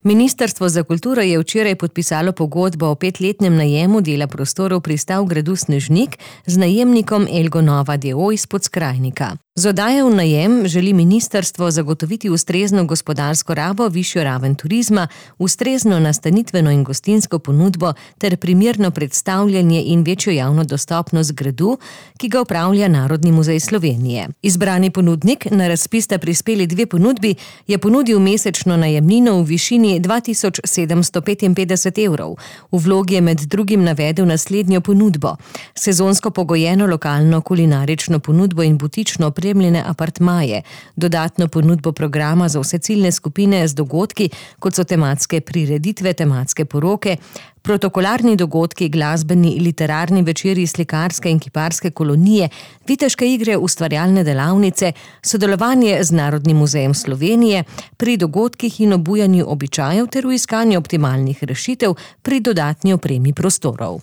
Ministrstvo za kulturo je včeraj podpisalo pogodbo o 5-letnem najemu dela prostorov pristav gradu Snežnik z najemnikom Elgo Nova d.o.o. iz Podskrajnika. Z oddajo v najem želi ministrstvo zagotoviti ustrezno gospodarsko rabo, višjo raven turizma, ustrezno nastanitveno in gostinsko ponudbo ter primerno predstavljanje in večjo javno dostopnost gradu, ki ga upravlja Narodni muzej Slovenije. Izbrani ponudnik, na razpis sta prispeli 2 ponudbi, je ponudil mesečno najemnino v višini 2755 evrov. V vlogi je med drugim navedel naslednjo ponudbo: sezonsko pogojeno lokalno kulinarično ponudbo in butično opremljene apartmaje, dodatno ponudbo programa za vse ciljne skupine z dogodki, kot so tematske prireditve, tematske poroke, protokolarni dogodki, glasbeni, literarni večeri, slikarske in kiparske kolonije, viteške igre, ustvarjalne delavnice, sodelovanje z Narodnim muzejem Slovenije pri dogodkih in obujanju običajev ter v iskanju optimalnih rešitev pri dodatni opremi prostorov.